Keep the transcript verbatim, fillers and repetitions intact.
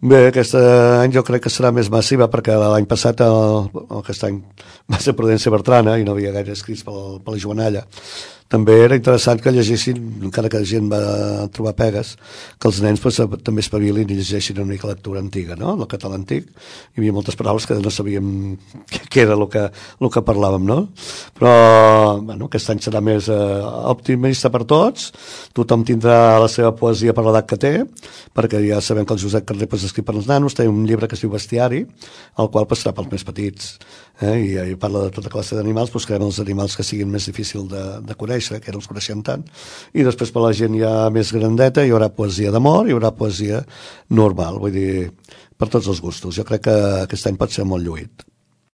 Bé, aquest any jo crec que serà més massiva perquè l'any passat, el, aquest any va ser Prudència Bertrana i no havia gaire escrits per, per la Joanalla. També era interessant que llegessin, encara que la gent va trobar pegues, que els nens pues, també espavilin i llegeixin una mica lectura antiga, no? El català antic. Hi havia moltes paraules que no sabíem què era el que, el que parlàvem, no? Però bueno, aquest any serà més eh, optimista per tots, tothom tindrà la seva poesia per l'edat que té, perquè ja sabem que el Josep Carner pues, escrit per als nanos, té un llibre que es diu Bestiari, el qual pues, serà pels més petits, eh? I, i parla de tota classe d'animals, buscarem els animals que siguin més difícils de, de conèixer, que no els coneixem tant, i després per la gent ja més grandeta hi haurà poesia d'amor, hi haurà poesia normal, vull dir, per tots els gustos. Jo crec que aquest any pot ser molt lluït.